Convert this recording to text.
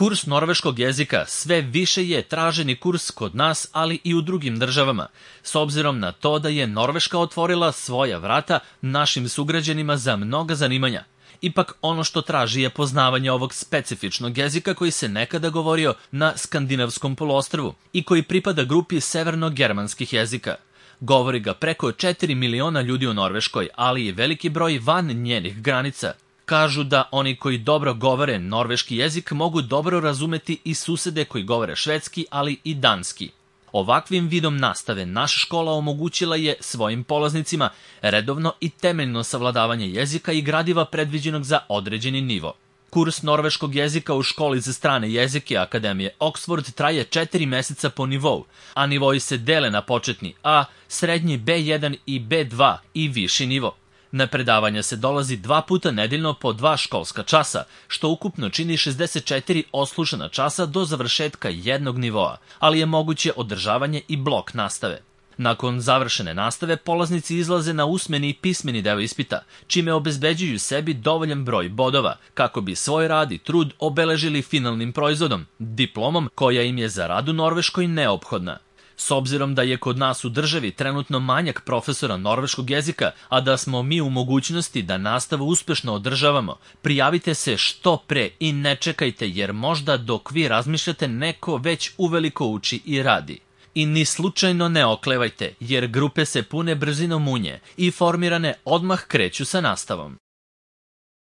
Kurs norveškog jezika sve više je traženi kurs kod nas, ali i u drugim državama, s obzirom na to da je Norveška otvorila svoja vrata našim sugrađanima za mnoga zanimanja. Ipak ono što traži je poznavanje ovog specifičnog jezika koji se nekada govorio na skandinavskom poluostrvu i koji pripada grupi severno-germanskih jezika. Govori ga preko 4 miliona ljudi u Norveškoj, ali i veliki broj van njenih granica. Kažu da oni koji dobro govore norveški jezik mogu dobro razumeti i susede koji govore švedski, ali i danski. Ovakvim vidom nastave naša škola omogućila je svojim polaznicima redovno i temeljno savladavanje jezika i gradiva predviđenog za određeni nivo. Kurs norveškog jezika u školi za strane jezike Akademije Oxford traje 4 meseca po nivou, a nivoi se dele na početni A, srednji B1 i B2 i viši nivo. Na predavanja se dolazi 2 puta nedeljno po 2 školska časa, što ukupno čini 64 oslušana časa do završetka jednog nivoa, ali je moguće održavanje i blok nastave. Nakon završene nastave, polaznici izlaze na usmeni i pismeni deo ispita, čime obezbeđuju sebi dovoljan broj bodova, kako bi svoj rad i trud obeležili finalnim proizvodom, diplomom koja im je za rad u Norveškoj neophodna. S obzirom da je kod nas u državi trenutno manjak profesora norveškog jezika, a da smo mi u mogućnosti da nastavu uspešno održavamo, prijavite se što pre i ne čekajte, jer možda dok vi razmišljate neko već uveliko uči i radi. I ni slučajno ne oklevajte, jer grupe se pune brzinom munje i formirane odmah kreću sa nastavom.